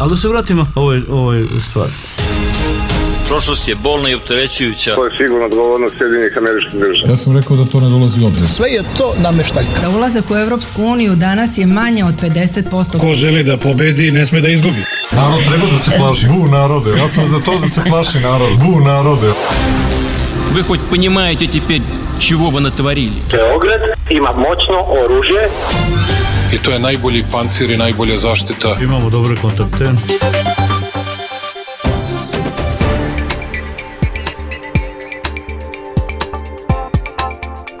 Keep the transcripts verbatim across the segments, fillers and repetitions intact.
Ali da se vratimo ovoj, ovoj stvari. Prošlost je bolna i opterećujuća. To je sigurno odgovornost Sjedinjenih Američkih Država. Ja sam rekao da to ne dolazi u obzir. Sve je to nameštaljka. Za ulazak u Evropsku uniju danas je manje od pedeset posto. Ko želi da pobedi, ne sme da izgubi. Narod treba da se plaši. Bu narode. Ja sam za to da se plaši narod. Bu narode. Вы хоть понимаете теперь, чего вы натворили? Beograd ima moćno oružje. I to je najbolji pancir i najbolja zaštita. Imamo dobre kontakte.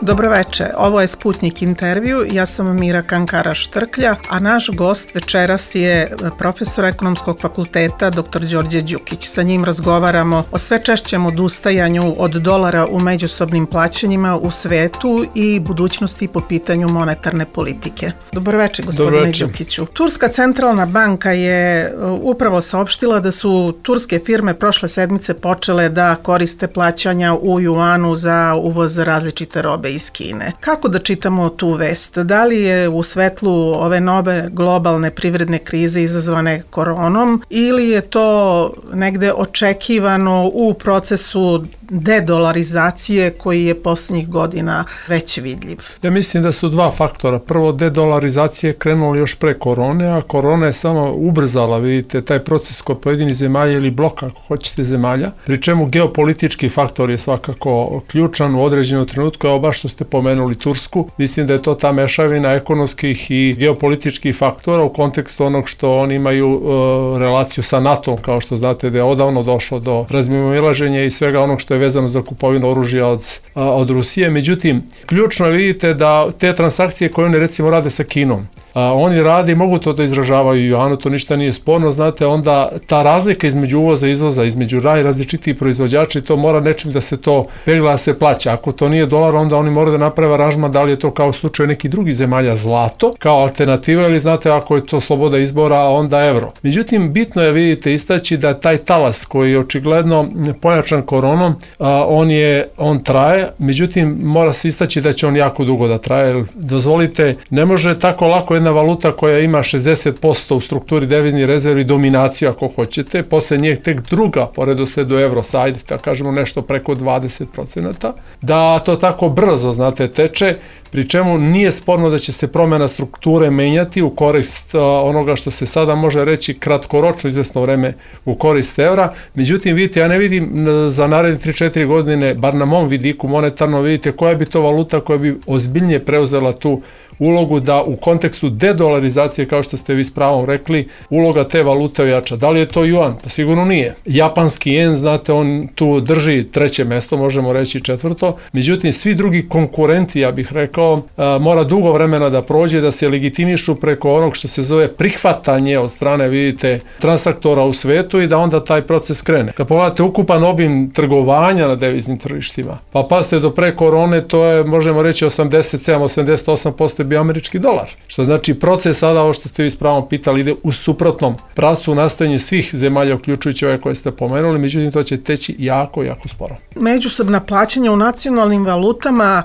Dobroveče, ovo je Sputnik intervju, ja sam Mira Kankara-Štrklja, a naš gost večeras je profesor Ekonomskog fakulteta dr. Đorđe Đukić. Sa njim razgovaramo o sve češćem odustajanju od dolara u međusobnim plaćanjima u svetu i budućnosti po pitanju monetarne politike. Dobroveče, gospodine Dobroveče. Đukiću. Turska centralna banka je upravo saopštila da su turske firme prošle sedmice počele da koriste plaćanja u juanu za uvoz različite robe iz Kine. Kako da čitamo tu vest? Da li je u svetlu ove nove globalne privredne krize izazvane koronom ili je to negde očekivano u procesu dedolarizacije koji je posljednjih godina već vidljiv? Ja mislim da su dva faktora. Prvo, dedolarizacija je krenula još pre korone, a korona je samo ubrzala, vidite, taj proces kod pojedinih zemalja ili bloka, ako hoćete, zemalja, pri čemu geopolitički faktor je svakako ključan u određenom trenutku, evo baš što ste pomenuli Tursku. Mislim da je to ta mešavina ekonomskih i geopolitičkih faktora u kontekstu onog što oni imaju uh, relaciju sa NATO, kao što znate da je odavno došlo do razmimoilaženja i svega onog što je vezano za kupovinu oružja od, od Rusije. Međutim, ključno vidite da te transakcije koje oni recimo rade sa Kinom, a, oni rade i mogu to da izražavaju u juanu, to ništa nije sporno, znate, onda ta razlika između uvoza i izvoza, između najrazličitijih proizvođača, i to mora nečim da se to pegla da se plaća. Ako to nije dolar, onda oni moraju da naprave aranžman, da li je to kao u slučaju nekih drugih zemalja zlato, kao alternativa, ili znate, ako je to sloboda izbora, onda evro. Međutim, bitno je, vidite, istaći da taj talas koji je očigledno pojačan koronom, a, on je, on traje, međutim, mora se istaći da će on jako dugo da traje, jer, dozvolite, ne može tako lako jedna valuta koja ima šezdeset posto u strukturi deviznih rezervi dominaciju, ako hoćete, posle nje tek druga po redosledu evro, sajde, da kažemo nešto preko dvadeset procenata, da to tako brzo, znate, teče, pri čemu nije sporno da će se promjena strukture menjati u korist uh, onoga što se sada može reći kratkoročno izvesno vreme u korist evra. Međutim, vidite, ja ne vidim za naredne tri četiri godine, bar na mom vidiku monetarno, vidite koja bi to valuta koja bi ozbiljnije preuzela tu ulogu da u kontekstu dedolarizacije, kao što ste vi s pravom rekli, uloga te valute ojača. Da li je to juan? Pa sigurno nije. Japanski jen, znate, on tu drži treće mesto, možemo reći četvrto. Međutim, svi drugi konkurenti, ja bih rekao, mora dugo vremena da prođe, da se legitimišu preko onog što se zove prihvatanje od strane, vidite, transaktora u svetu i da onda taj proces krene. Kad pogledate ukupan obim trgovanja na deviznim tržištima, pa pazite, do pre korone to je, možemo reći, osamdeset sedam do osamdeset osam posto bio američki dolar. Što znači proces sada, ovo što ste vi s pravom pitali, ide u suprotnom pravcu, nastojanje svih zemalja, uključujući ove koje ste pomenuli, međutim to će teći jako, jako sporo. Međusobna plaćanja u nacionalnim valutama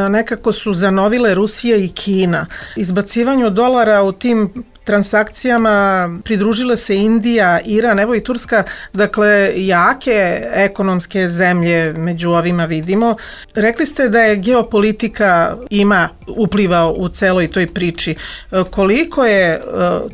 nekako su zanovile Rusija i Kina. Izbacivanju dolara u tim transakcijama pridružile se Indija, Iran, evo i Turska, dakle jake ekonomske zemlje među ovima vidimo. Rekli ste da je geopolitika ima upliva u celoj toj priči. Koliko je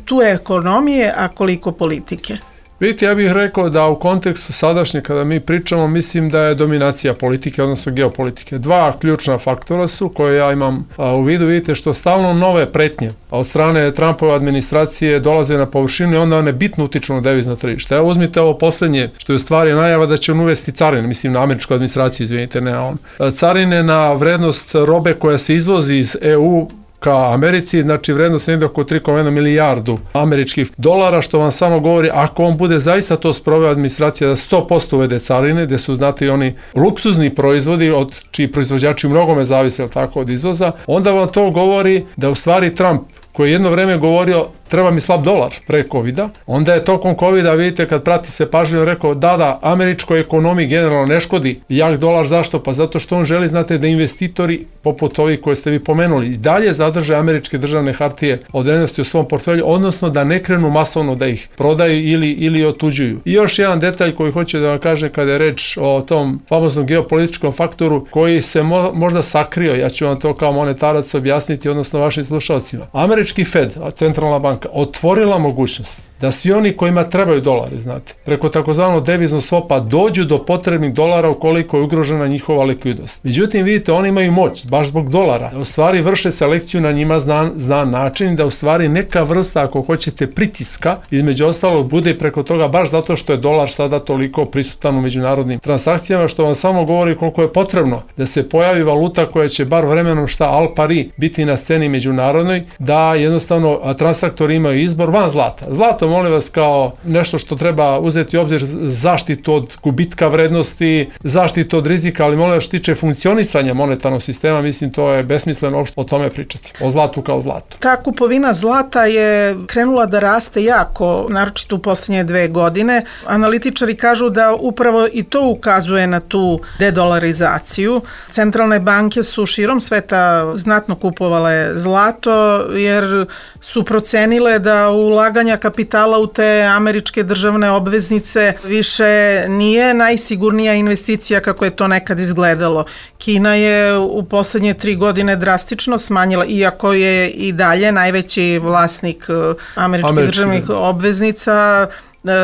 tu ekonomije, a koliko politike? Vidite, ja bih rekao da u kontekstu sadašnje, kada mi pričamo, mislim da je dominacija politike, odnosno geopolitike. Dva ključna faktora su koje ja imam a, u vidu, vidite, što stalno nove pretnje od strane Trumpove administracije dolaze na površinu i onda one bitno utiču na devizna tržišta. Evo uzmite ovo poslednje, što je u stvari najava da će on uvesti carine, mislim na američku administraciju, izvinite, ne on. Carine na vrednost robe koja se izvozi iz E U ka Americi, znači vrednost negdje oko tri zarez jedan milijardu američkih dolara, što vam samo govori, ako on bude zaista to sproveo administracija da sto posto uvede carine, gde su, znate, i oni luksuzni proizvodi, od čiji proizvođači u mnogome zavise, tako, od izvoza, onda vam to govori da u stvari Trump, koji je jedno vreme govorio treba mi slab dolar pre covida, onda je tokom covida, vidite, kad prati se pažljivo, rekao da, da, američkoj ekonomiji generalno ne škodi jak dolar, zašto? Pa zato što on želi, znate, da investitori, poput ovih koje ste vi pomenuli, i dalje zadrže američke državne hartije od vrednosti u svom portfelju, odnosno da ne krenu masovno da ih prodaju ili, ili otuđuju. I još jedan detalj koji hoću da vam kažem kada je reč o tom famoznom geopolitičkom faktoru koji se mo, možda sakrio, ja ću vam to kao monetarac objasniti, odnosno vašim slušalcima. Američki Fed, centralna banka, otvorila mogućnost da svi oni kojima trebaju dolari, znate, preko takozvanog deviznog svopa dođu do potrebnih dolara ukoliko je ugrožena njihova likvidnost. Međutim, vidite, oni imaju moć, baš zbog dolara, da u stvari vrše selekciju na njima znan, znan način, da u stvari neka vrsta, ako hoćete, pritiska, između ostalog, bude preko toga baš zato što je dolar sada toliko prisutan u međunarodnim transakcijama, što vam samo govori koliko je potrebno da se pojavi valuta koja će bar vremenom šta al pari biti na sceni međunarodnoj, da jednostavno transaktori imaju izbor van zlata. Zlato, molim vas, kao nešto što treba uzeti u obzir, zaštitu od gubitka vrednosti, zaštitu od rizika, ali molim vas, što tiče funkcionisanja monetarnog sistema, mislim to je besmisleno uopšte o tome pričati, o zlatu kao zlatu. Ta kupovina zlata je krenula da raste jako, naročito u posljednje dve godine. Analitičari kažu da upravo i to ukazuje na tu dedolarizaciju. Centralne banke su širom sveta znatno kupovale zlato jer su procenile da ulaganja kapitala u te američke državne obveznice više nije najsigurnija investicija kako je to nekad izgledalo. Kina je u poslednje tri godine drastično smanjila, iako je i dalje najveći vlasnik američkih Američki, državnih da. obveznica,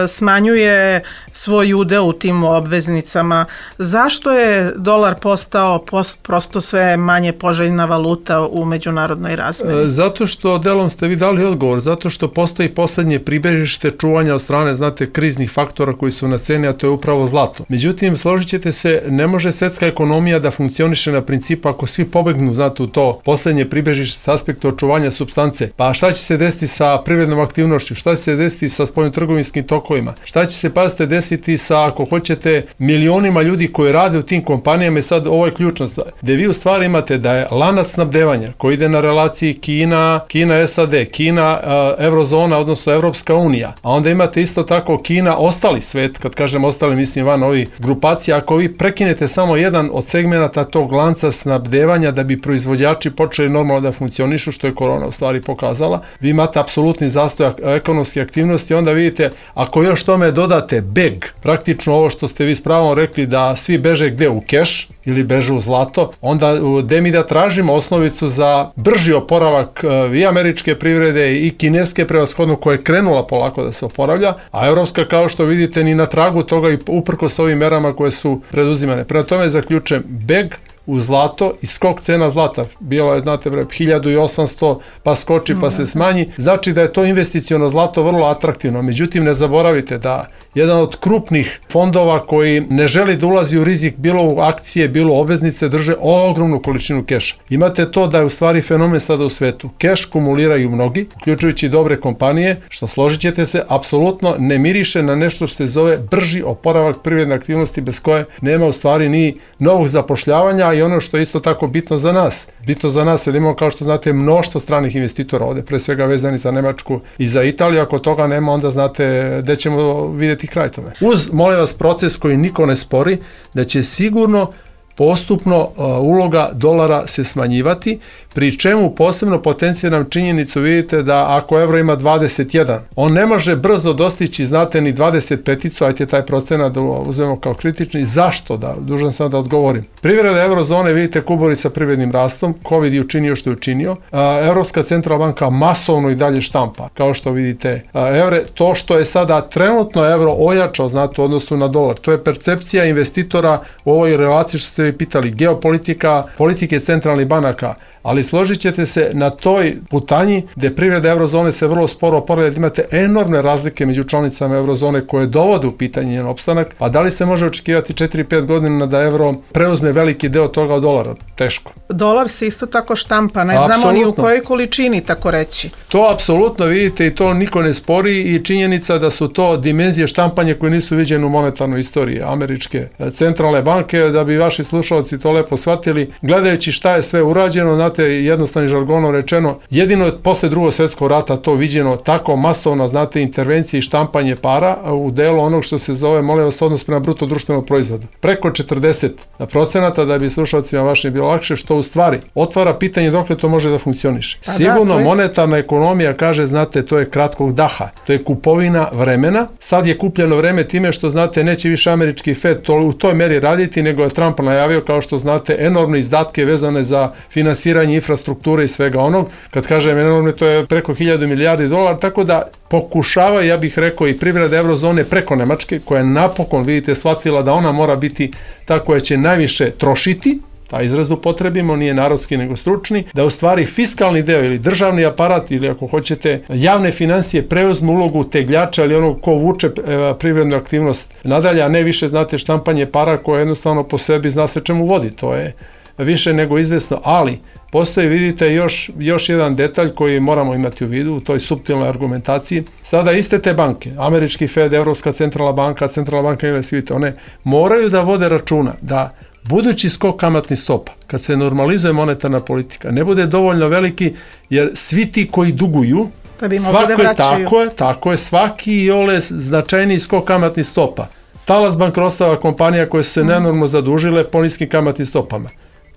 smanjuje svoj udeo u tim obveznicama. Zašto je dolar postao post, prosto sve manje poželjna valuta u međunarodnoj razmeni? Zato što, delom ste vi dali odgovor, zato što postoji poslednje pribežište čuvanja od strane, znate, kriznih faktora koji su na ceni, a to je upravo zlato. Međutim, složit ćete se, ne može svetska ekonomija da funkcioniše na principu ako svi pobegnu, znate, u to poslednje pribežište s aspekta očuvanja supstance. Pa šta će se desiti sa privrednom aktivnošću? Šta će se desiti sa spoljnotrgovinskim tokovima? Šta će se, pazite, desiti sa, ako hoćete, milionima ljudi koji rade u tim kompanijama? I sad ovo je ključna stvar, gde vi u stvari imate da je lanac snabdevanja koji ide na relaciji Kina, Kina, S A D, Kina, Eurozona, odnosno Evropska unija, a onda imate isto tako Kina, ostali svet, kad kažem ostali, mislim van ovih grupacija, ako vi prekinete samo jedan od segmenata tog lanca snabdevanja da bi proizvođači počeli normalno da funkcionišu, što je korona u stvari pokazala, vi imate apsolutni zastoj ekonomske aktivnosti, onda vidite, ako još tome dodate beg, praktično ovo što ste vi s pravom rekli da svi beže gde, u keš ili beže u zlato, onda gde mi da tražimo osnovicu za brži oporavak i američke privrede i kineske prevashodno koja je krenula polako da se oporavlja, a evropska, kao što vidite, ni na tragu toga i uprkos ovim merama koje su preduzimane. Prema tome zaključujem, beg u zlato i skok cena zlata, bilo je, znate, bre, hiljadu osamsto, pa skoči, pa se smanji, znači da je to investiciono zlato vrlo atraktivno. Međutim, ne zaboravite da jedan od krupnih fondova koji ne želi da ulazi u rizik, bilo u akcije, bilo u obveznice, drže ogromnu količinu keša. Imate to da je u stvari fenomen sada u svetu. Keš kumuliraju mnogi, uključujući dobre kompanije, što, složit ćete se, apsolutno ne miriše na nešto što se zove brži oporavak privredne aktivnosti, bez koje nema u stvari ni novog zapošljavanja. I ono što je isto tako bitno za nas, bitno za nas, jer imamo, kao što znate, mnoštvo stranih investitora ovde, pre svega vezani za Nemačku i za Italiju. Ako toga nema, onda znate gde ćemo vidjeti kraj tome. Uz, molim vas, proces koji niko ne spori, da će sigurno postupno uh, uloga dolara se smanjivati, pri čemu posebno potenciram činjenicu, vidite da ako evro ima dvadeset jedan, on ne može brzo dostići, znate, ni dvadeset pet, ajte taj procenat da uzmemo kao kritični. Zašto? Da, dužan sam da odgovorim. Privreda eurozone, vidite, kubori sa privrednim rastom, COVID je učinio što je učinio, uh, Evropska centralna banka masovno i dalje štampa, kao što vidite, uh, evre, to što je sada trenutno evro ojačao, znate, u odnosu na dolar, to je percepcija investitora u ovoj relaciji što ste vi pitali, geopolitika, politike centralnih banaka, ali složit ćete se na toj putanji gde privreda eurozone se vrlo sporo oporavlja, da imate enormne razlike među članicama eurozone koje dovode u pitanje njen opstanak, a da li se može očekivati četiri pet godina da evro preuzme veliki deo toga od dolara? Teško. Dolar se isto tako štampa, ne znamo apsolutno ni u kojoj količini, tako reći. To apsolutno vidite i to niko ne spori, i činjenica da su to dimenzije štampanja koje nisu viđene u monetarnoj istoriji američke centralne banke. Da bi vaši slušalci to lepo shvatili, gledajući šta je sve urađeno, znate, jednostavnim žargonom rečeno, jedino je posle drugog svjetskog rata to viđeno tako masovno, znate, intervencije i štampanje para u delu onog što se zove, molim vas, odnos prema bruto društvenog proizvoda. Preko četrdeset procenata, da bi slušalcima vašim bilo lakše, što u stvari otvara pitanje dokle to može da funkcioniše. Pa Sigurno da, je... monetarna ekonomija kaže, znate, to je kratkog daha, to je kupovina vremena. Sad je kupljeno vreme time što, znate, neće više američki Fed to, u toj meri raditi, nego je Trump najavio, kao što znate, enormne izdatke vezane za finansiranje infrastrukture i svega onog. Kad kažem enormne, to je preko hiljadu milijardi dolara, tako da pokušava, ja bih rekao, i privreda eurozone preko Nemačke, koja je napokon, vidite, shvatila da ona mora biti ta koja će najviše trošiti, taj izraz upotrebimo, nije narodski nego stručni, da u stvari fiskalni deo ili državni aparat ili ako hoćete javne financije preuzmu ulogu tegljača ili onog ko vuče privrednu aktivnost nadalje, a ne više, znate, štampanje para koje jednostavno po sebi zna se čemu vodi. To je više nego izvesno, ali postoji, vidite, još, još jedan detalj koji moramo imati u vidu u toj suptilnoj argumentaciji. Sada iste te banke, američki Fed, Evropska centralna banka, centralna banka engleska, one moraju da vode računa da budući skok kamatnih stopa, kad se normalizuje monetarna politika, ne bude dovoljno veliki, jer svi ti koji duguju, da bi svako da je tako je, tako je, svaki i ole značajniji skok kamatnih stopa. Talas bankrotstava kompanija koje su se nenormalno zadužile po niskim kamatnim stopama.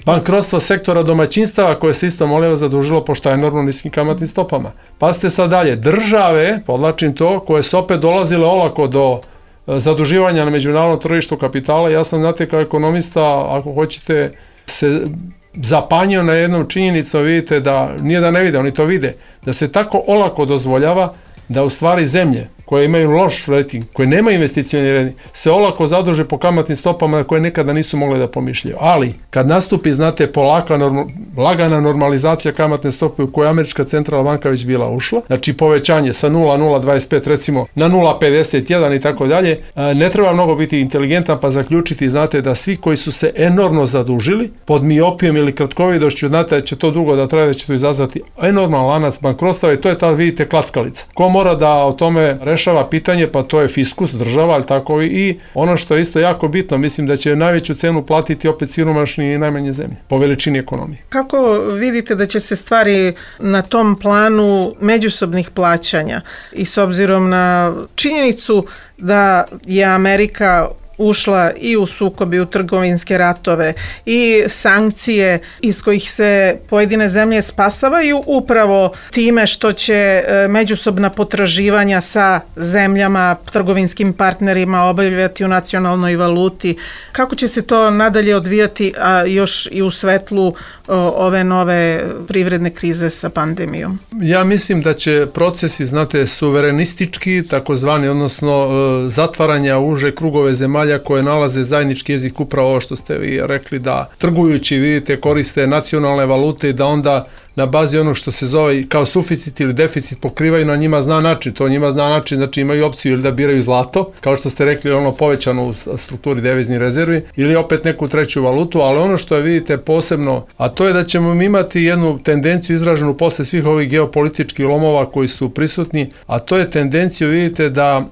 Bankrotstvo sektora domaćinstava koje se isto, molim vas, zadužilo po šta enormno niskim kamatnim stopama. Pa ste sad dalje, države, podlačim to, koje su opet dolazile olako do zaduživanja na međunarodnom tržištu kapitala. Ja sam, znate, kao ekonomista, ako hoćete, se zapanjio na jednom činjenicom, vidite da, nije da ne vide, oni to vide, da se tako olako dozvoljava da u stvari zemlje koje imaju loš rating, koje nema investicioni rating, se olako zaduže po kamatnim stopama na koje nekada nisu mogle da pomišljaju. Ali, kad nastupi, znate, polaka, normal, lagana normalizacija kamatne stope u kojoj američka centralna banka već bila ušla, znači povećanje sa nula zarez nula dvadeset pet recimo na nula zarez pedeset jedan i tako dalje, ne treba mnogo biti inteligentan pa zaključiti, znate, da svi koji su se enormno zadužili pod miopijom ili kratkovidošću, znate da će to dugo da traje, da će to izazvati enorman lanac bankrotstava i to je ta, vidite, klackalica. Ko mora da o tome rešava pitanje, pa to je fiskus, država, ali tako i ono što je isto jako bitno, mislim da će najveću cenu platiti opet siromašni i najmanje zemlje, po veličini ekonomije. Kako vidite da će se stvari na tom planu međusobnih plaćanja i s obzirom na činjenicu da je Amerika ušla i u sukob i u trgovinske ratove i sankcije iz kojih se pojedine zemlje spasavaju upravo time što će međusobna potraživanja sa zemljama, trgovinskim partnerima obavljati u nacionalnoj valuti. Kako će se to nadalje odvijati, a još i u svetlu ove nove privredne krize sa pandemijom? Ja mislim da će procesi, znate, suverenistički, takozvani, odnosno zatvaranja uže krugove zemalja koje nalaze zajednički jezik, upravo ovo što ste vi rekli, da trgujući, vidite, koriste nacionalne valute i da onda na bazi onog što se zove kao suficit ili deficit pokrivaju na njima zna način. To njima zna način, znači imaju opciju ili da biraju zlato, kao što ste rekli, ono povećano u strukturi deviznih rezervi, ili opet neku treću valutu, ali ono što je, vidite, posebno, a to je da ćemo imati jednu tendenciju izraženu posle svih ovih geopolitičkih lomova koji su prisutni, a to je tendenciju, vidite, da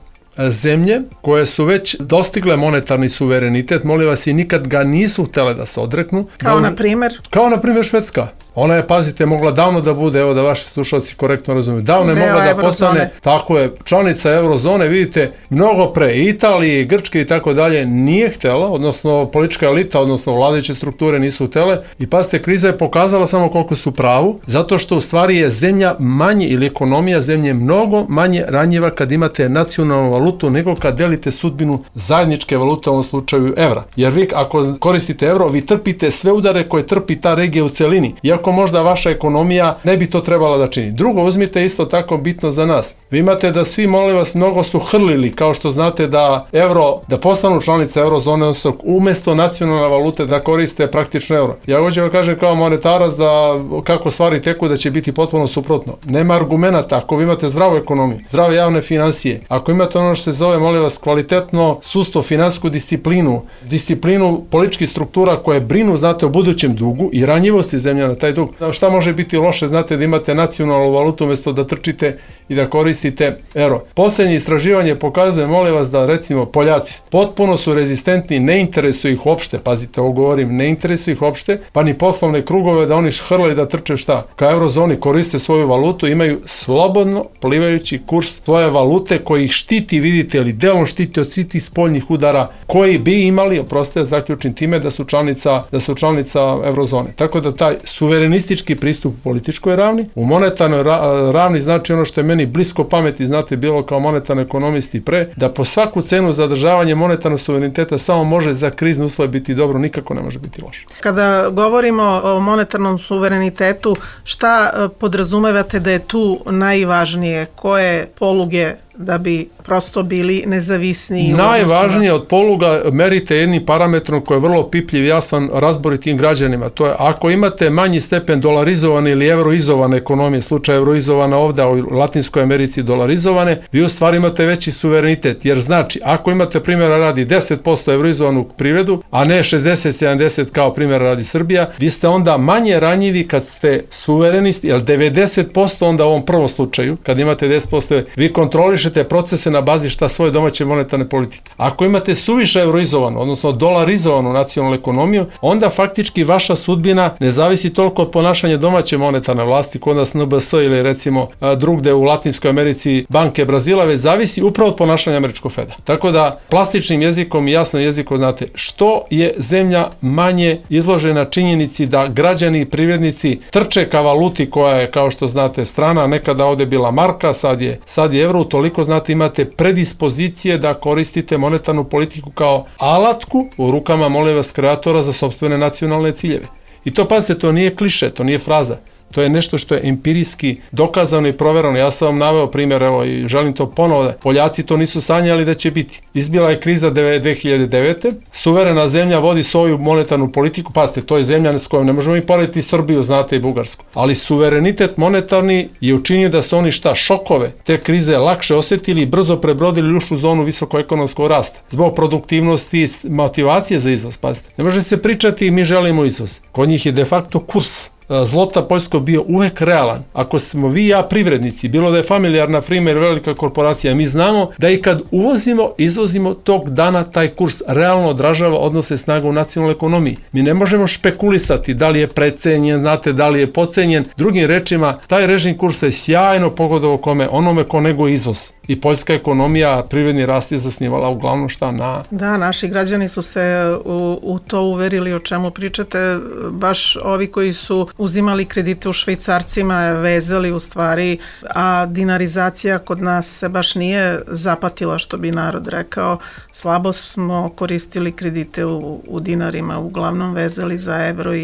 zemlje koje su već dostigle monetarni suverenitet, molim vas, i nikad ga nisu htjele da se odreknu. Kao na primjer? Kao na primjer Švedska. Ona je, pazite, mogla davno da bude, evo da vaši slušalci korektno razumiju, davno je Deo mogla da eurozone. postane, tako je, članica eurozone, vidite, mnogo pre Italije, Grčke i tako dalje nije htjela, odnosno politička elita, odnosno vladajuće strukture nisu htjele i pazite, kriza je pokazala samo koliko su pravu, zato što u stvari je zemlja manje ili ekonomija zemlje mnogo manje ranjiva kad imate nacionalnu valutu nego kad delite sudbinu zajedničke valute, u ovom slučaju evra. Jer vi ako koristite evro, vi trpite sve udare koje trpi ta regija u celini. Iako možda vaša ekonomija ne bi to trebala da čini. Drugo, uzmite isto tako bitno za nas. Vi imate da svi, molim vas, mnogo su hrlili, kao što znate, da evro, da postanu članice eurozone, odnosno umjesto nacionalne valute da koriste praktično evro. Ja hoću vam kažem kao monetarac da kako stvari teku da će biti potpuno suprotno. Nema argumenata ako vi imate zdravu ekonomiju, zdrave javne financije, ako imate ono što se zove, molim vas, kvalitetno sudstvo, finansijsku disciplinu, disciplinu političkih struktura koje brinu, znate, o budućem dugu i ranjivosti zemlja na taj dug, dug. Šta može biti loše, znate, da imate nacionalnu valutu umjesto da trčite i da koristite euro. Posljednje istraživanje pokazuje, molim vas, da recimo Poljaci potpuno su rezistentni, ne interesuju ih uopšte, pazite, ovo govorim, ne interesuju ih uopšte, pa ni poslovne krugove da oni hrle da trče šta. Ka eurozoni koriste svoju valutu, imaju slobodno plivajući kurs svoje valute koji ih štiti, vidite, ili delom štiti od svih tih spoljnih udara koji bi imali, oprostite, zaključim time, da su članica, da su članica eurozone. Tako da taj suverenistički pristup u političkoj ravni, u monetarnoj ra- ravni znači ono što je meni blisko pameti, znate, bilo kao monetarni ekonomisti pre, da po svaku cenu zadržavanje monetarnog suvereniteta samo može za krizne uslove biti dobro, nikako ne može biti loše. Kada govorimo o monetarnom suverenitetu, šta podrazumevate da je tu najvažnije? Koje poluge da bi prosto bili nezavisni? Najvažnije od poluga merite jednim parametrom koji je vrlo pipljiv, jasan, razboritim građanima. To je, ako imate manji stepen dolarizovane ili euroizovane ekonomije, slučaj euroizovana ovdje, a u Latinskoj Americi dolarizovane, vi u stvari imate veći suverenitet. Jer znači, ako imate primjera radi deset posto euroizovanu privredu, a ne šezdeset sedamdeset kao primjera radi Srbija, vi ste onda manje ranjivi kad ste suverenisti, jer devedeset posto onda u ovom prvom slučaju, kad imate deset posto, vi kontrolišete procese na bazi šta svoje domaće monetarne politike. Ako imate suviše euroizovanu, odnosno dolarizovanu nacionalnu ekonomiju, onda faktički vaša sudbina ne zavisi toliko od ponašanja domaće monetarne vlasti, kod nas N B S ili recimo drugde u Latinskoj Americi banke Brazila, već zavisi upravo od ponašanja američkog Feda. Tako da plastičnim jezikom i jasnim jezikom, znate, što je zemlja manje izložena činjenici da građani i privrednici trče ka valuti koja je, kao što znate, strana, nekada ovdje bila marka, sad je, sad je evro, toliko znate imate predispozicije da koristite monetarnu politiku kao alatku u rukama, molim vas, kreatora za sopstvene nacionalne ciljeve. I to, pazite, to nije kliše, to nije fraza. To je nešto što je empirijski dokazano i proverano. Ja sam vam naveo primjer, evo, i želim to ponovo da Poljaci to nisu sanjali da će biti. Izbila je kriza dve hiljade devete. Suverena zemlja vodi svoju monetarnu politiku. Pazite, to je zemlja s kojom ne možemo i porediti Srbiju, znate, i Bugarsku. Ali suverenitet monetarni je učinio da su oni šta, šokove te krize lakše osjetili i brzo prebrodili ušli u zonu visokoekonomskog rasta. Zbog produktivnosti i motivacije za izvoz, pazite. Ne može se pričati mi želimo izvoz. Kod njih je de facto kurs zlota poljskog bio uvek realan. Ako smo vi i ja privrednici, bilo da je familijarna firma ili velika korporacija, mi znamo da i kad uvozimo, izvozimo, tog dana taj kurs realno odražava odnose snaga u nacionalnoj ekonomiji. Mi ne možemo špekulisati da li je precenjen, znate, da li je pocenjen. Drugim rečima, taj režim kursa je sjajno pogodovao kome, onome ko nego izvoz. I poljska ekonomija, privredni rast je zasnivala uglavnom šta na... Da, naši građani su se u, u to uverili, o čemu pričate, baš ovi koji su uzimali kredite u švajcarcima, vezali u stvari, a dinarizacija kod nas se baš nije zapatila, što bi narod rekao. Slabo smo koristili kredite u, u dinarima, uglavnom vezali za evro i,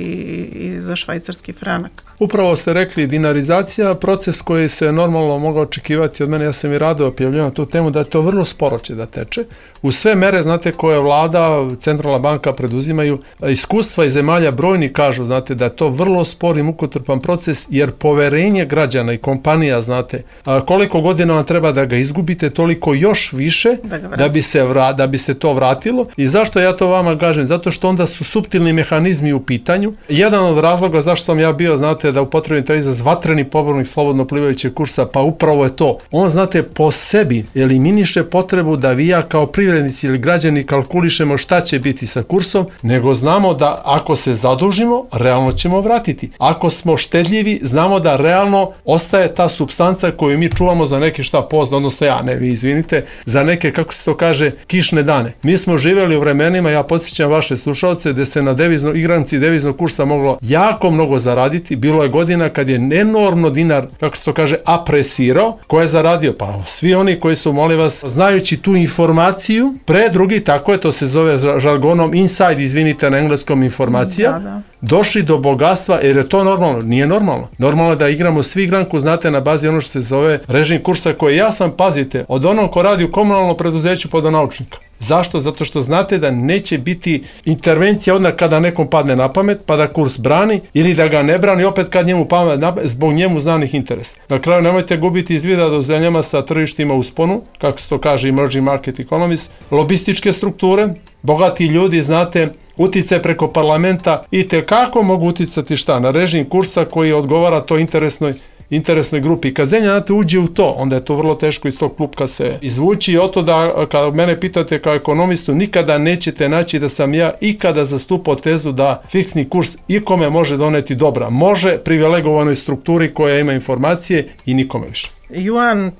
i za švajcarski franak. Upravo ste rekli, dinarizacija, proces koji se normalno mogao očekivati od mene, ja sam i rado objavljeno tu temu, da je to vrlo sporo će da teče. U sve mere, znate, koje vlada, centralna banka preduzimaju, iskustva iz zemalja brojni kažu, znate, da je to vrlo spor i mukotrpan proces, jer poverenje građana i kompanija, znate, koliko godina vam treba da ga izgubite, toliko još više da, da, bi, se vra, da bi se to vratilo. I zašto ja to vama kažem? Zato što onda su suptilni mehanizmi u pitanju. Jedan od razloga zašto sam ja bio, znate, da upotrebim taj izraz vatreni pobornik slobodno plivajućeg kursa, pa upravo je to. On, znate, po sebi eliminiše potrebu da vi ja kao privrednici ili građani kalkulišemo šta će biti sa kursom, nego znamo da ako se zadužimo, realno ćemo vratiti. Ako smo štedljivi, znamo da realno ostaje ta supstanca koju mi čuvamo za neke šta pozna, odnosno ja, ne, vi izvinite, za neke, kako se to kaže, kišne dane. Mi smo živjeli u vremenima, ja podsjećam vaše slušalce, gde se na devizno, igranci deviznog kursa moglo jako mnogo zaraditi. Bilo je godina kad je enormno dinar, kako se to kaže, apresirao. Ko je zaradio? Pa svi oni koji su, molim vas, znajući tu informaciju, pre drugi, tako je, to se zove žargonom inside, izvinite na engleskom, informacija, da, da. Došli do bogatstva, jer je to normalno. Nije normalno. Normalno je da igramo svi igranku, znate, na bazi ono što se zove režim kursa, koji ja sam, pazite, od onog ko radi u komunalnom preduzeću pa do naučnika. Zašto? Zato što znate da neće biti intervencija odmah kada nekom padne na pamet, pa da kurs brani, ili da ga ne brani opet kad njemu pamet, zbog njemu znanih interesa. Na kraju nemojte gubiti iz vida da u zemljama sa tržištima u sponu, kako se to kaže emerging market economies, lobističke strukture, bogati ljudi, znate, uticaj preko parlamenta i tekako mogu uticati šta? Na režim kursa koji odgovara to interesnoj interesnoj grupi. Kad zemlja znate uđe u to, onda je to vrlo teško iz tog klupka se izvući i oto da, kada mene pitate kao ekonomistu, nikada nećete naći da sam ja ikada zastupao tezu da fiksni kurs ikome može doneti dobra. Može privilegovanoj strukturi koja ima informacije i nikome više. Juan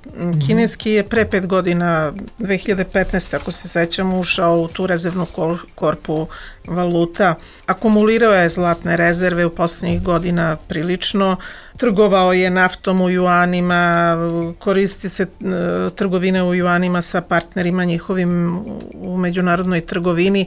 kineski je pre pet godina, dve hiljade petnaeste. ako se sećam, ušao u tu rezervnu korpu valuta. Akumulirao je zlatne rezerve u poslednjih godina prilično. Trgovao je naftom u juanima, koristi se trgovine u juanima sa partnerima njihovim u međunarodnoj trgovini.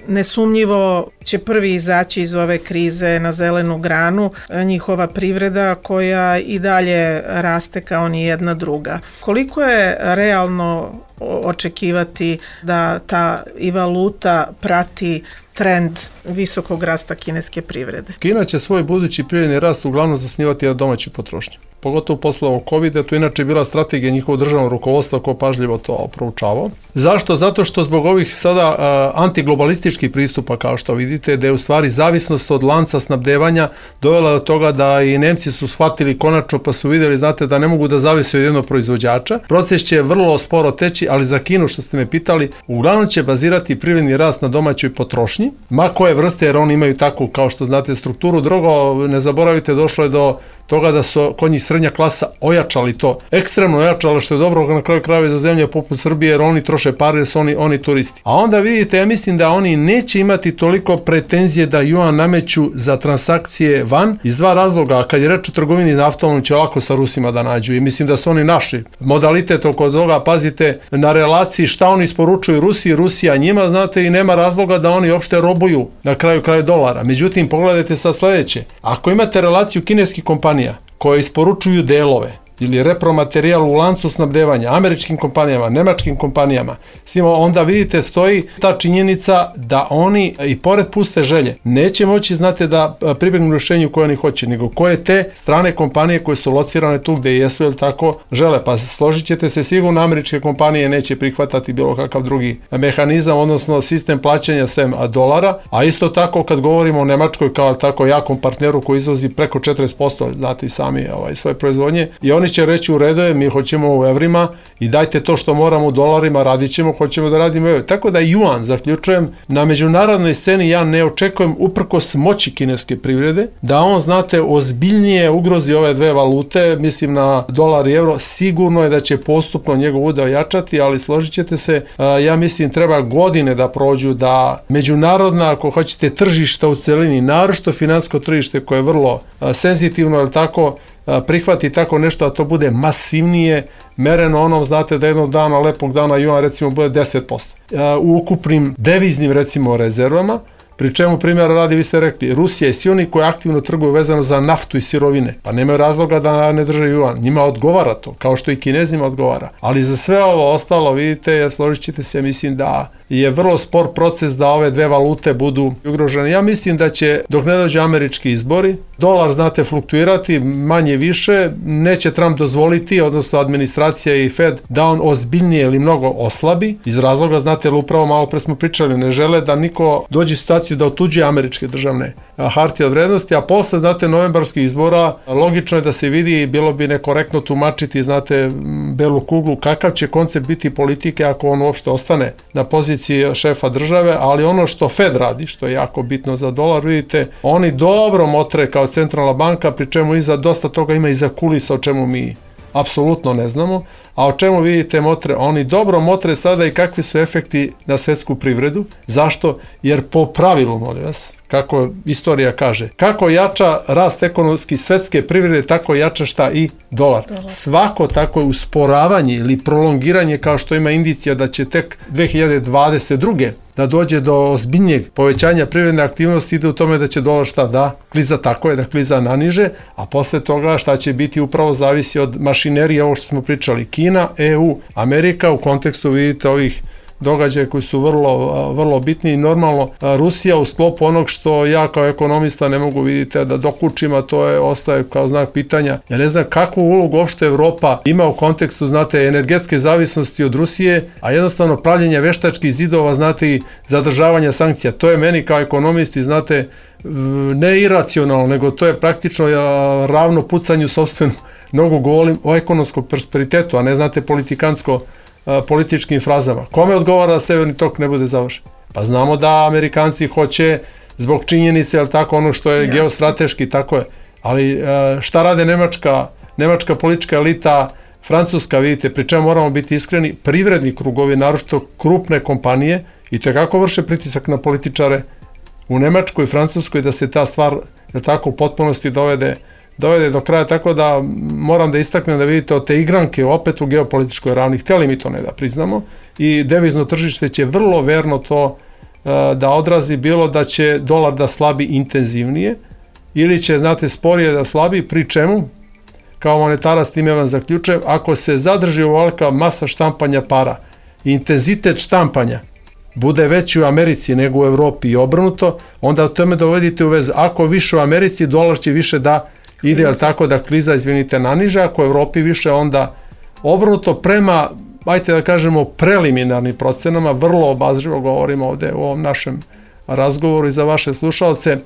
Nesumnjivo će prvi izaći iz ove krize na zelenu granu, njihova privreda koja i dalje raste kao ni jedna druga. Koliko je realno očekivati da ta i valuta prati trend visokog rasta kineske privrede? Kina će svoj budući privredni rast uglavnom zasnivati na domaćoj potrošnji. Pogotovo posle ovog kovida, to inače je bila strategija njihovog državnog rukovodstva ko pažljivo to proučavao. Zašto? Zato što zbog ovih sada uh, antiglobalističkih pristupa, kao što vidite, da je u stvari zavisnost od lanca snabdevanja dovela do toga da i Nemci su shvatili konačno pa su vidjeli, znate, da ne mogu da zavise od jednog proizvođača. Proces će vrlo sporo teći, ali za Kinu, što ste me pitali, uglavnom će bazirati privredni rast na domaćoj potrošnji, ma koje vrste, jer oni imaju takvu, kao što znate, strukturu. Drugo, ne zaboravite, došlo je do toga da su kod njih srednja klasa ojačali to, ekstremno ojačali, što je dobro na kraju krajeva za zemlje poput Srbije, jer oni troše pare, jer su oni, oni turisti. A onda vidite, ja mislim da oni neće imati toliko pretenzije da juan nameću za transakcije van, iz dva razloga. Kad je reč o trgovini naftom, oni će lako sa Rusima da nađu i mislim da su oni našli modalitet oko toga. Pazite na relaciji šta oni isporučuju Rusiji, Rusija njima, znate, i nema razloga da oni uopšte robuju na kraju kraja dolara. Međutim, pogledajte sad sledeće. Ako imate relaciju kineskih kompanija koje isporučuju delove ili repromaterijal u lancu snabdevanja američkim kompanijama, nemačkim kompanijama, svima, onda vidite stoji ta činjenica da oni i pored puste želje neće moći, znate, da pribegnu rješenju koje oni hoće, nego koje te strane kompanije koje su locirane tu gde jesu, ili tako žele. Pa složit ćete se, sigurno američke kompanije neće prihvatati bilo kakav drugi mehanizam, odnosno sistem plaćanja sem dolara, a isto tako kad govorimo o Nemačkoj kao tako jakom partneru koji izvozi preko četrdeset posto, znate i sami ovaj, svoje proizvodnje, i oni će reći u redu je, mi hoćemo u evrima i dajte to što moramo u dolarima, radit ćemo, hoćemo da radimo u evrima. Tako da juan, zaključujem, na međunarodnoj sceni ja ne očekujem, uprkos moći kineske privrede, da on, znate, ozbiljnije ugrozi ove dve valute, mislim na dolar i euro. Sigurno je da će postupno njegov udeo jačati, ali složit ćete se, ja mislim treba godine da prođu da međunarodna, ako hoćete, tržišta u celini, naročito finansijsko tržište koje je vrlo senzitivno, ali tako, prihvati tako nešto, a to bude masivnije mereno onom, znate, da jednog dana, lepog dana juan recimo bude deset posto. U ukupnim deviznim recimo rezervama, pri čemu primjera radi, vi ste rekli, Rusija i svi oni koji aktivno trguju vezano za naftu i sirovine, pa nemaju razloga da ne drže juan, njima odgovara to, kao što i Kinezima odgovara. Ali za sve ovo ostalo, vidite, ja složit ćete se, mislim da je vrlo spor proces da ove dve valute budu ugrožene. Ja mislim da će, dok ne dođe američki izbori, dolar, znate, fluktuirati manje više, neće Trump dozvoliti, odnosno administracija i Fed, da on ozbiljnije ili mnogo oslabi, iz razloga, znate, ili upravo malo pre smo pričali, ne žele da niko dođe u situaciju da otuđuje američke državne hartije od vrednosti, a posle, znate, novembarskih izbora, logično je da se vidi, bilo bi nekorektno tumačiti, znate, belu kuglu, kakav će koncept biti politike ako on uopšte ostane na poziciji šefa države, ali ono što Fed radi, što je jako bitno za dolar, vidite, oni dobro motre kao centralna banka, pri čemu iza dosta toga ima iza kulisa, o čemu mi apsolutno ne znamo, a o čemu vidite motre? Oni dobro motre sada i kakvi su efekti na svetsku privredu. Zašto? Jer po pravilu, molim vas, kako istorija kaže, kako jača rast ekonomski svetske privrede, tako jača šta i dolar. dolar. Svako tako je usporavanje ili prolongiranje, kao što ima indicija da će tek dve hiljade dvadeset druge da dođe do ozbiljnijeg povećanja privredne aktivnosti, ide u tome da će dolar šta da kliza, tako je, da kliza naniže, a posle toga šta će biti upravo zavisi od mašinerije, ovo što smo pričali, Kina, E U, Amerika, u kontekstu vidite ovih događaje koji su vrlo, vrlo bitni i normalno Rusija u sklopu onog što ja kao ekonomista ne mogu vidite da dokučim, a to je, ostaje kao znak pitanja. Ja ne znam kakvu ulogu uopšte Evropa ima u kontekstu, znate, energetske zavisnosti od Rusije, a jednostavno pravljenja veštačkih zidova, znate, i zadržavanja sankcija. To je meni kao ekonomisti, znate, ne iracionalno, nego to je praktično ravno pucanju sopstvenu nogu, govorim o ekonomskom prosperitetu, a ne, znate, politikansko političkim frazama. Kome odgovara da Severni tok ne bude završen? Pa znamo da Amerikanci hoće zbog činjenice, ali tako, ono što je geostrateški, tako je. Ali šta rade Nemačka, Nemačka politička elita, Francuska, vidite, pri čemu moramo biti iskreni, privredni krugovi, naročito krupne kompanije, i to kako vrše pritisak na političare u Nemačkoj i Francuskoj da se ta stvar, je tako, u potpunosti dovede dovede do kraja, tako da moram da istaknem da vidite od te igranke opet u geopolitičkoj ravni, htjeli mi to ne da priznamo, i devizno tržište će vrlo verno to da odrazi, bilo da će dolar da slabi intenzivnije ili će, znate, sporije da slabi, pri čemu, kao monetarac, time vam zaključujem, ako se zadrži ovolika masa štampanja para, intenzitet štampanja bude veći u Americi nego u Evropi i obrnuto, onda o tome dovodite u vezu. Ako više u Americi, dolar će više da ide, ali tako, da kliza, izvinite, naniže, ako u Evropi više, onda obrnuto prema, ajte da kažemo, preliminarnim procenama, vrlo obazrivo govorimo ovde u ovom našem razgovoru i za vaše slušalce.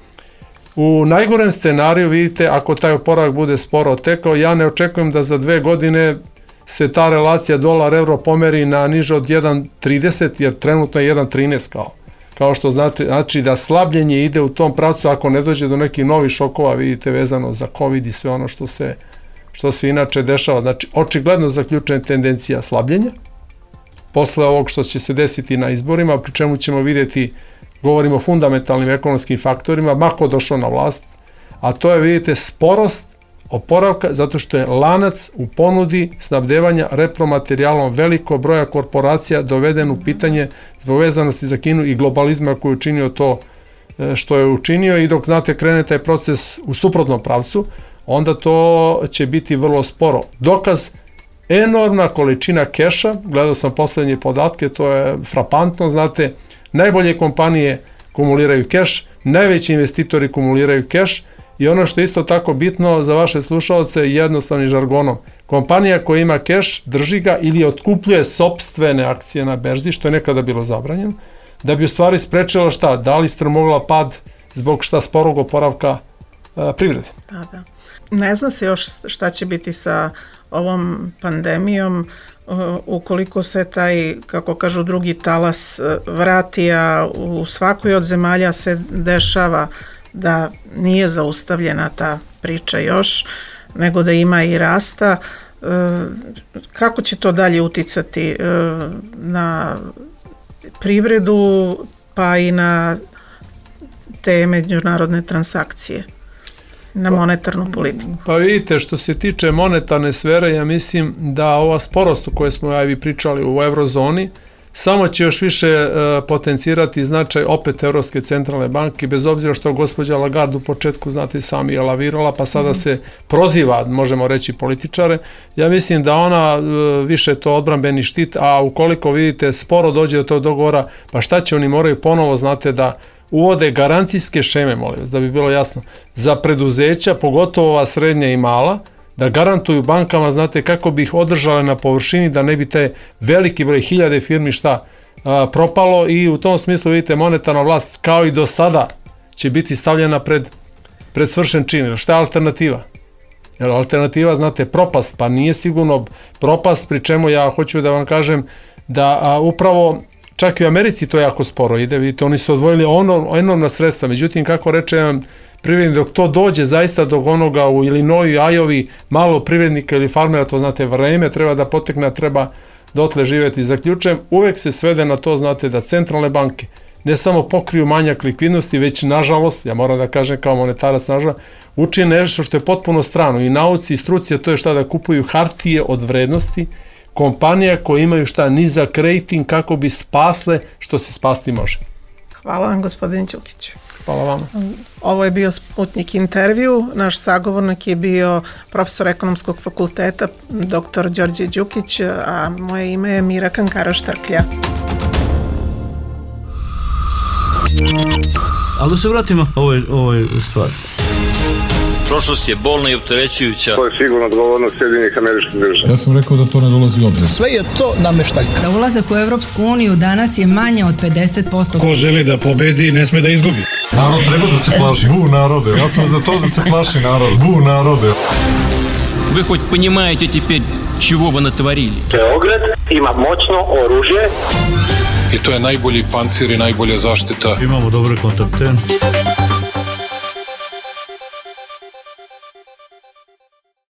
U najgorem scenariju, vidite, ako taj oporavak bude sporo tekao, ja ne očekujem da za dve godine se ta relacija dolar-euro pomeri na niže od jedan zarez trideset, jer trenutno je jedan zarez trinaest kao. Kao što znate, znači da slabljenje ide u tom pravcu ako ne dođe do nekih novih šokova, vidite, vezano za COVID i sve ono što se, što se inače dešava. Znači, očigledno zaključena tendencija slabljenja posle ovog što će se desiti na izborima, pri čemu ćemo vidjeti, govorimo o fundamentalnim ekonomskim faktorima, mako došao na vlast, a to je, vidite, sporost oporavka, zato što je lanac u ponudi snabdevanja repromaterijalom velikog broja korporacija doveden u pitanje zbog vezanosti za Kinu i globalizma koji je učinio to što je učinio, i dok, znate, krene taj proces u suprotnom pravcu, onda to će biti vrlo sporo. Dokaz, enormna količina keša, gledao sam poslednje podatke, to je frapantno, znate, najbolje kompanije kumuliraju keš, najveći investitori kumuliraju keš, i ono što je isto tako bitno za vaše slušalce, jednostavnim žargonom, kompanija koja ima keš drži ga ili otkupljuje sopstvene akcije na berzi, što je nekada bilo zabranjeno, da bi u stvari sprečila šta, da li strmogla pad zbog šta sporog oporavka a, privrede. Da, da. Ne zna se još šta će biti sa ovom pandemijom, ukoliko se taj, kako kažu, drugi talas vrati, a u svakoj od zemalja se dešava da nije zaustavljena ta priča još, nego da ima i rasta. Kako će to dalje uticati na privredu, pa i na te međunarodne transakcije, na monetarnu politiku? Pa vidite, što se tiče monetarne sfere, ja mislim da ova sporost o kojoj smo ja i vi pričali u eurozoni, samo će još više e, potencirati značaj opet Evropske centralne banke, bez obzira što gospođa Lagarde u početku, znate, sami je lavirala, pa sada se proziva, možemo reći, političare. Ja mislim da ona e, više to odbrambeni štit, a ukoliko, vidite, sporo dođe do tog dogovora, pa šta će, oni moraju ponovo, znate, da uvode garancijske šeme, molim vas, da bi bilo jasno, za preduzeća, pogotovo ova srednja i mala, da garantuju bankama, znate, kako bi ih održale na površini, da ne bi te veliki broj hiljade firmi šta a, propalo, i u tom smislu, vidite, monetarna vlast kao i do sada će biti stavljena pred, pred svršen čin. Šta je alternativa? Jer alternativa, znate, propast, pa nije sigurno propast, pri čemu ja hoću da vam kažem da a, upravo čak i u Americi to jako sporo ide, vidite, oni su odvojili ono, enormna sredstva, međutim, kako reče vam privrednik, dok to dođe zaista do onoga u Illinoisu, Iowi, malo privrednika ili farmera, to, znate, vreme treba da potekne, treba dotle živjeti. Zaključujem, uvek se svede na to, znate, da centralne banke ne samo pokriju manjak likvidnosti, već, nažalost, ja moram da kažem kao monetarac, nažalost, uči nešto što je potpuno strano i nauci i struci, a to je šta, da kupuju hartije od vrednosti kompanija koje imaju šta, nizak rating, kako bi spasle što se spasti može. Hvala vam, gospodin Đukić. Hvala vam. Ovo je bio Sputnik intervju. Naš sagovornik je bio profesor ekonomskog fakulteta, doktor Đorđe Đukić, a moje ime je Mira Kankara Štrklja. Ali da se vratimo ovoj, ovoj stvari. Prošlost je bolna i opterećujuća. To je sigurno odgovornost Sjedinjenih Američkih Država. Ja sam rekao da to ne dolazi u obzir. Sve je to nameštaljka. Za ulazak u Europsku uniju danas je manje od pedeset posto. Ko želi da pobedi, ne sme da izgubi. Narod treba da se plaši. Bu narode. Ja sam za to da se plaši narod. Bu narode. Вы хоть понимаете теперь, чего вы натворили? Beograd ima moćno oružje. I to je najbolji pancir i najbolja zaštita. Imamo dobre kontakte.